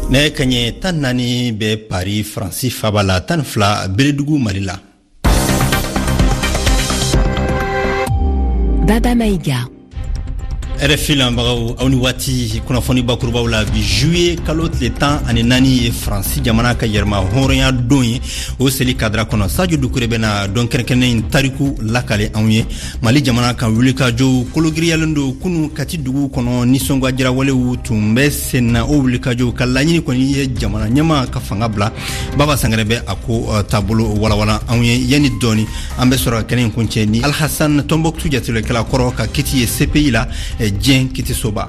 Nɛgɛ kaɲɛ 14 bɛ Paris, Faransi faba la, 12 Beledugu, Mali la. Baba Maïga. RFI lamɛnbagaw, aw ni waati. Kunnafoni bakurubaw la bi, juillet kalo tile 14 ye Faransi jamana ka yɛrɛma hɔrɔnya don ye. O seli kadira kɔnɔ, Sajo Dukure bɛna don kɛrɛnkɛrɛnnen in tariku lakale anw ye. Mali jamana kan, wulikajɔw kologiriyalen don kunu Kati dugu kɔnɔ. Nisɔngwajirawalew tun bɛ senna. O wulikajɔw ka laɲini kɔni ye jamana ɲɛmaa ka fanga bila. Baba Sangare bɛ a ko taabolo walawala anw ye yanni dɔɔni. An bɛ sɔrɔ ka kɛnɛ in kuncɛ ni Alhasan, Tɔnbɔkutu jatigiwalekɛla kɔrɔ ka kiti ye CPI la, diɲɛ kitisoba.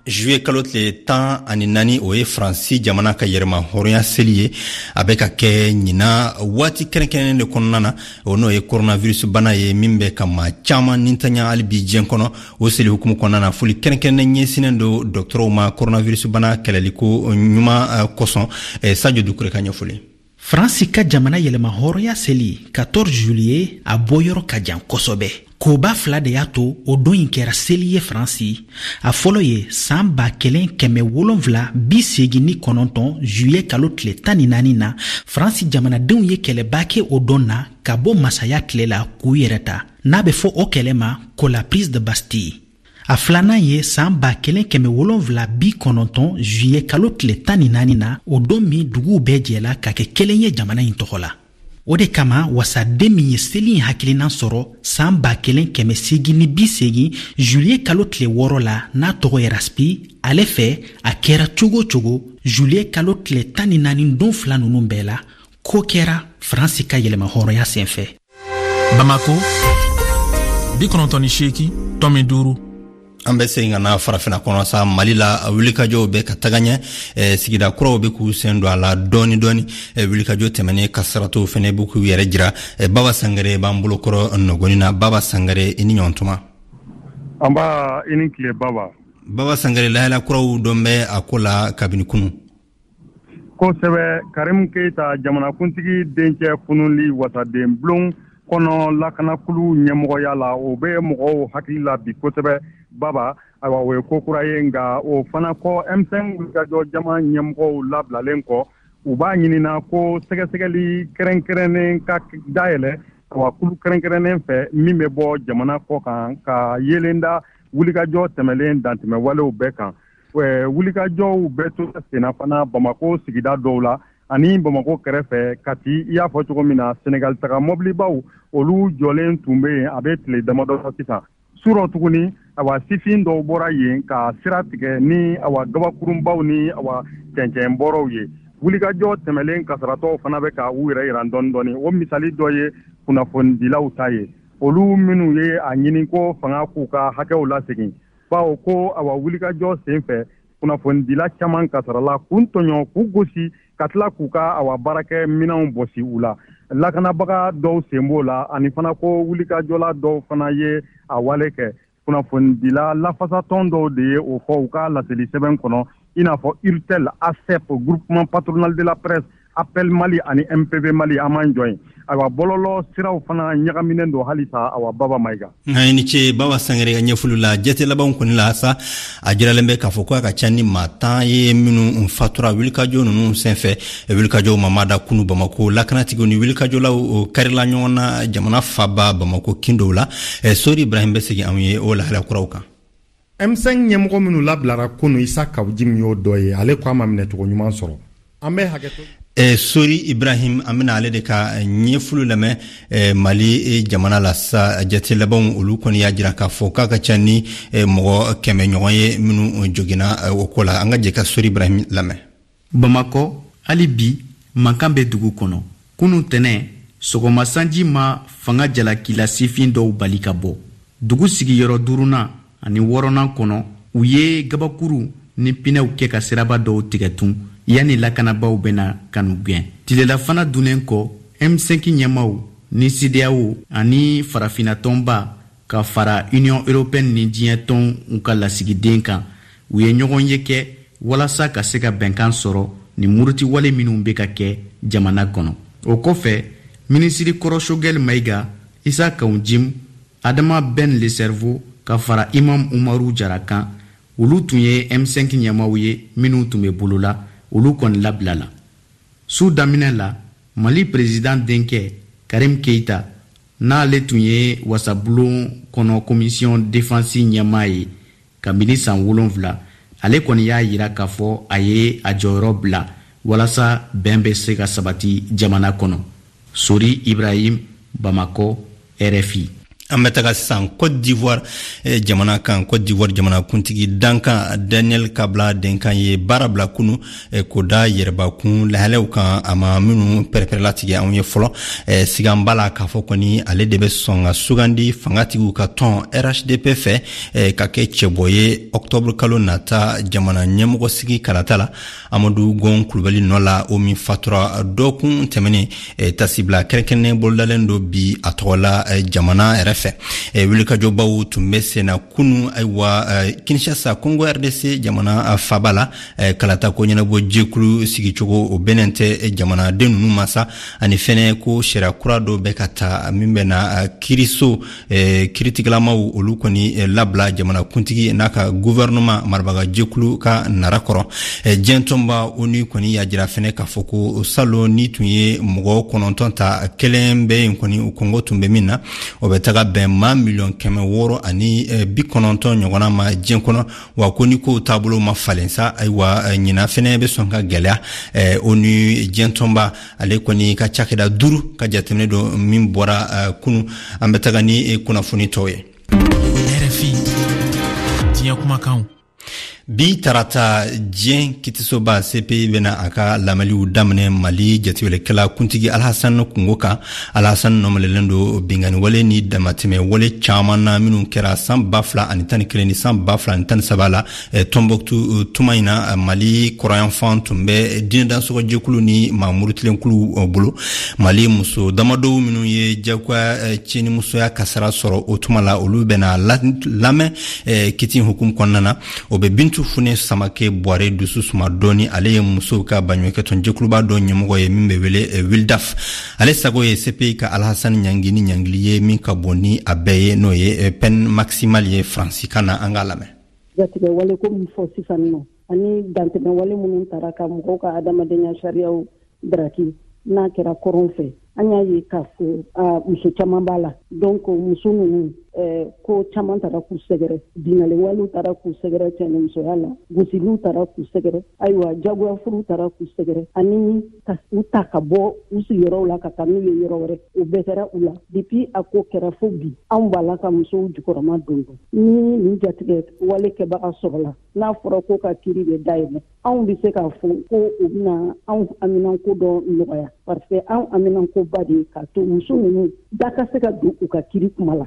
Juillet kalo tile 14, o ye Faransi jamana ka yɛrɛma hɔrɔnya seli ye. A bɛ ka kɛ ɲinan waati kɛrɛnkɛrɛnnen de kɔnɔna na, o n'o ye coronavirus bana ye min bɛ ka maa caman nintanya hali bi diɲɛ kɔnɔ. O seli hukumu kɔnɔna na, foli kɛrɛnkɛrɛnnen ɲɛsinnen don dɔgɔtɔrɔw ma coronavirus bana kɛlɛliko ɲuman kosɔn. Sajo Dukure ka ɲɛfɔli. Faransi ka jamana yɛlɛma hɔrɔnya seli 14 juillet, a bɔyɔrɔ ka jan kosɛbɛ. Koba fila de y'a to o don in kɛra seli ye Faransi. A fɔlɔ ye saan 1789 juillet kalo tile 14 na, Faransi jamanadenw ye kɛlɛba kɛ o don na ka bɔ masaya tile la k'u yɛrɛ ta, n'a bɛ fɔ o kɛlɛ ma ko la prise de Bastille. A filanan ye saan 1790 juillet kalo tile 14 na, o don min duguw bɛɛ jɛla ka kɛ kelen ye jamana in tɔgɔ la. O de kama wasaden min ye seli in hakilinan sɔrɔ saan 1880 juillet kalo tile 6 la, n'a tɔgɔ ye Raspi, ale fɛ a kɛra cogo o cogo juillet kalo tile 14 don fila ninnu bɛɛ la, ko kɛra Faransi ka yɛlɛma hɔrɔnya senfɛ. Bamako 98.5. An bɛ segin ka na farafina kɔnɔ sa. Mali la, wulikajɔw bɛ ka taga ɲɛ. Sigida kuraw bɛ k'u sen don a la dɔɔni dɔɔni. Wulikajɔ tɛmɛnen, kasaratɔw fɛnɛ bɛ k'u yɛrɛ jira. Baba Sangare b'an bolokɔrɔ nɔgɔni na. Baba Sangare, i ni ɲɔgɔn. Nba, i ni tile, Baba. Baba Sangare, lahala kuraw dɔn bɛ a ko la kabini kunu. Kosɛbɛ, Karim Keita, jamanakuntigi dencɛ funuli wasaden bulon kɔnɔ lakanakulu ɲɛmɔgɔya la, o bɛ mɔgɔw hakili la bi kosɛbɛ, Baba. Ayiwa, o ye ko kura ye. Nka o fana kɔ, M5 wulikajɔ jama ɲɛmɔgɔw labilalen kɔ, u b'a ɲinina ko sɛgɛsɛgɛli kɛrɛnkɛrɛnnen ka dayɛlɛ, awa, kulu kɛrɛnkɛrɛnnen fɛ min bɛ bɔ jamana kɔ kan ka yeelen da wulikajɔ tɛmɛlen dantɛmɛwalew bɛɛ kan. Wulikajɔw bɛ to senna fana Bamako sigida dɔw la ani Bamako kɛrɛfɛ Kati. I y'a fɔ cogo min na, Senegal taga mɔbilibaw, olu jɔlen tun bɛ yen a bɛ tile damadɔ sisan. Surɔ tuguni, awa, sifin dɔw bɔra yen ka sira tigɛ ni, awa, gabakurunbaw ni, awa, cɛncɛnbɔrɔw ye. Wulikajɔ tɛmɛlen kasaratɔw fana bɛ ka u yɛrɛ yira dɔɔni dɔɔni. O misali dɔ ye kunnafonidilaw ta ye, olu minnu ye a ɲini ko fanga k'u ka hakɛw lasegin, bawo ko, awa, wulikajɔ sen fɛ, kunnafonidila caman kasarala, k'u tɔɲɔ, k'u gosi, ka tila k'u ka, awa, baarakɛ minɛnw bɔsi u la. Lakanabaga dɔw sen b'o la, ani fana ko wulikajɔla dɔw fana ye a wale kɛ. Kunnafonidila lafasatɔn dɔw de ye o fɔ u ka laseli sɛbɛn kɔnɔ, i n'a fɔ URTEL, ASEP, Groupement Patronal de la Presse, Appel Mali ani MPV Mali. An m'an jɔ yen. Ayiwa, bɔlɔlɔ siraw fana ɲagaminen don halisa, awa, Baba Mayiga. Nka i ni ce, Baba Sangare ka ɲɛfɔli la. Jate labanw kɔni la sa, a jiralen bɛ k'a fɔ ko a ka ca ni maa 10 ye minnu fatura wulikajɔ ninnu senfɛ. Wulikajɔw mamada kunu Bamako, lakanatigiw ni wulikajɔlaw karila ɲɔgɔn na jamana faba Bamako kin dɔw la. Sori Ibrahim bɛ segin anw ye o lahala kuraw kan. M5 ɲɛmɔgɔ minnu labilara kunu, Isa Kaw Jim y'o dɔ ye. Ale ko a ma minɛcogo ɲuman sɔrɔ. An bɛ hakɛ. Sori Ibrahim, an bɛna ale de ka ɲɛfɔli lamɛn. Mali jamana la sa, jate labanw olu kɔni y'a jira k'a fɔ k'a ka ca ni mɔgɔ 100 ɲɔgɔn ye minnu joginna o ko la. An ka jɛ ka Sori Ibrahim lamɛn. Bamakɔ, hali bi mankan bɛ dugu kɔnɔ. Kunu tɛnɛ sɔgɔma, sanji ma fanga jalakila sifin dɔw bali ka bɔ dugu sigiyɔrɔ duurunan ani wɔɔrɔnan kɔnɔ. U ye gabakuru ni pinɛw kɛ ka siraba dɔw tigɛ tun yanni lakanabaaw bɛna ka n'u gɛn. Tilelafana dunnen kɔ, M5 ɲɛmaw ni CEDEAO ani farafinna tɔnba ka fara Union européenne ni diɲɛ tɔnw ka lasigiden kan, u ye ɲɔgɔn ye kɛ walasa ka se ka bɛnkan sɔrɔ ni murutiwale minw bɛ ka kɛ jamana kɔnɔ. O kɔfɛ, Minisiri kɔrɔ Choguel Maïga, Issa Kaou Djim, Adama Ben le Cerveau ka fara Imam Umaru Jara kan, olu tun ye M5 ɲɛmaaw ye minnu tun bɛ bolo la, olu kɔni labilala. Su daminɛ la, Mali président denkɛ Karim Keita, n'ale tun ye wasabulon kɔnɔ commission défense ɲɛmaa ye kabini san 7, ale kɔni y'a yira k'a fɔ a ye a jɔyɔrɔ bila walasa bɛn bɛ se ka sabati jamana kɔnɔ. Sori Ibrahim, Bamakɔ, RFI. An bɛ taga sisan Cote d'Ivoire jamana kan. Cote d'Ivoire jamana kuntigi dankan Daniel Kablan Duncan ye baara bila kunu, k'o da yɛrɛbakun lahalaw kan, a ma minnu pɛrɛpɛrɛlatigɛ anw ye fɔlɔ. Sigan b'a la k'a fɔ kɔni ale de bɛ sɔn ka sugandi fangatigiw ka tɔn RHDP fɛ ka kɛ cɛbɔ ye octobre kalo nata jamana ɲɛmɔgɔ sigi kalata la, Amadu Gon Kulubali nɔ la, o min fatura dɔgɔkun tɛmɛnen. Tasibila kɛrɛnkɛrɛnnen bolodalen don bi a tɔgɔ la jamana yɛrɛ fɛ. Wulikajɔbaw tun bɛ senna kunu, ayiwa, Kinshasa, Congo RDC jamana faba la. Kalata ko ɲɛnabɔ jɛkulu sigicogo, o bɛnnen tɛ jamanaden ninnu ma sa, ani fɛnɛ ko sariya kura dɔ bɛ ka ta min bɛna kiiriso kiritigɛlamaw olu kɔni labila jamana kuntigi n'a ka gouvernement marabaga jɛkulu ka nara kɔrɔ. Diɲɛ tɔnba ONU kɔni y'a jira fɛnɛ k'a fɔ ko salon ni tun ye mɔgɔ 9 ta, kelen bɛ yen kɔni o kɔngɔ tun bɛ min na, o bɛ taga bɛn maa 690 miliyɔn ɲɔgɔnna ma diɲɛ kɔnɔ. Wa ko ni kow taabolo ma falen sa, ayiwa, ɲinan fɛnɛ bɛ sɔn ka gɛlɛya. ONU diɲɛ tɔnba ale kɔni ka cakɛda 5 ka jateminɛ dɔ min bɔra kunu. An bɛ taga ni kunnafoni tɔw ye. RFI diɲɛ kumakanw. Bi tarata, diɲɛ kitisoba CPI bɛna a ka lamɛnliw daminɛ Mali jatiwelekɛla kuntigi Alhasan kungo kan. Alhasan nɔmɛlɛlen don binkanniwale ni damatɛmɛ wale caman na minnu kɛra san 2011 ni san 2013 la Tɔnbɔkutu. Tuma in na, Mali kɔrɔyanfan tun bɛ diinɛdansɔgɔjɛkulu ni maa murutilenkulu bolo. Mali muso damadɔw minnu ye jagoya cɛnimusoya kasara sɔrɔ o tuma la, olu bɛna lamɛn kiti hukumu kɔnɔna na. O bɛ Bintu Fune Samake Buware dusu suma dɔɔni. Ale ye musow ka baɲumankɛtɔn jɛkuluba dɔ ɲɛmɔgɔ ye min bɛ wele Wildaf. Ale sago ye CPI ka Alhasan ɲangi ni ɲangili ye min ka bon ni a bɛɛ ye, n'o ye peine maximale ye faransikan na. An k'a lamɛn. Jatigɛ wale ko min fɔ sisan nɔ, ani dantɛmɛ wale minnu tara ka mɔgɔw ka adamadenya sariyaw daraki, n'a kɛra kɔrɔn fɛ, an y'a ye k'a fɔ muso caman b'a la. Donc muso ninnu, ko caman taara k'u sɛgɛrɛ, bingali walew taara k'u sɛgɛrɛ cɛnimusoya la, gosiliw taara k'u sɛgɛrɛ, ayiwa, jagoya furu taara k'u sɛgɛrɛ, ani ka u ta ka bɔ u sigiyɔrɔw la ka taa n'u ye yɔrɔ wɛrɛ, o bɛɛ kɛra u la. Depuis a ko kɛra fo bi, anw b'a la ka musow jukɔrɔma don don. Ni nin jatigɛ wale kɛbaga sɔrɔla, n'a fɔra ko ka kiri bɛ dayɛlɛ, anw bɛ se k'a fɔ ko u bɛna anw haminanko dɔ nɔgɔya, parce que anw haminankoba de ye k'a to muso ninnu da ka se ka don u ka kiri kuma la,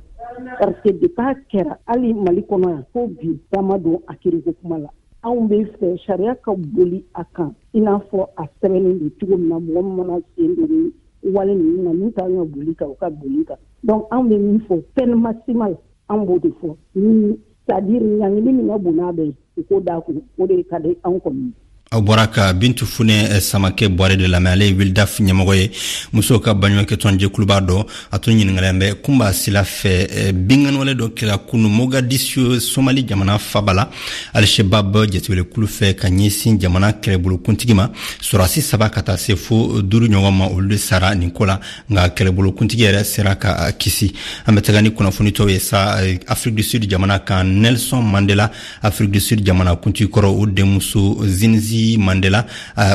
parce que depuis a kɛra hali Mali kɔnɔ yan fo bi, da ma don a kiriko kuma la. Anw bɛ fɛ sariya ka boli a kan i n'a fɔ a sɛbɛnnen don cogo min na. Mɔgɔ min mana sen don ni wale ninnu na, min ka kan ka boli kan, o ka boli kan. Donc anw bɛ min fɔ, peine maximale, an b'o de fɔ ni c'est à dire ɲangili min ka bon n'a bɛɛ ye, u k'o d'a kun. O de ka di anw kɔni. Aw bɔra ka Bintu Funɛ Samakɛ Bɔre de lamɛn. Ale ye Wildaf ɲɛmɔgɔ ye, musow ka baɲumankɛtɔn jɛkuluba dɔ. A tun ɲininkalen bɛ Kunba Sila fɛ. Binkanniwale dɔ kɛra kunu Mogadisio, Somali jamana faba la, Alshebab jatiwelekulu fɛ ka ɲɛsin jamana kɛlɛbolokuntigi ma. Sɔrɔdasi 3 ka taa se fo 5 ɲɔgɔn ma, olu de sara nin ko la, nka kɛlɛbolokuntigi yɛrɛ sera ka kisi. An bɛ taga ni kunnafoni tɔw ye sa Afrique du Sud jamana kan. Nelson Mandela, Afrique du Sud jamana kuntigi kɔrɔ, o denmuso Zinzi Mandela,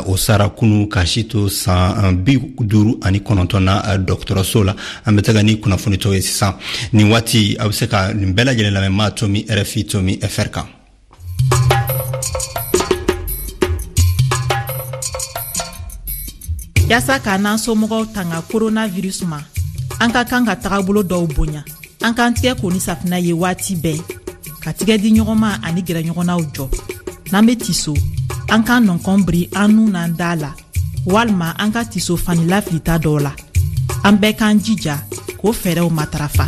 o sara kunu ka si to san 59 na dɔgɔtɔrɔso la. An bɛ taga ni kunnafoni tɔw ye sisan. Nin waati, aw bɛ se ka nin bɛɛ lajɛlen lamɛn ma tomi RFI tomi FR kan. Yaasa k'an n'an somɔgɔw tanga coronavirus ma, an ka kan ka tagabolo dɔw bonya. An k'an tigɛ ko ni safinɛ ye waati bɛɛ, ka tigɛ di ɲɔgɔn ma ani gɛrɛ ɲɔgɔnnaw jɔ. N'an be tiso, an k'an nɔnkɔn biri an nun n'an da la, walima an ka tiso fani lafilita dɔw la. An bɛɛ k'an jija k'o fɛɛrɛw matarafa.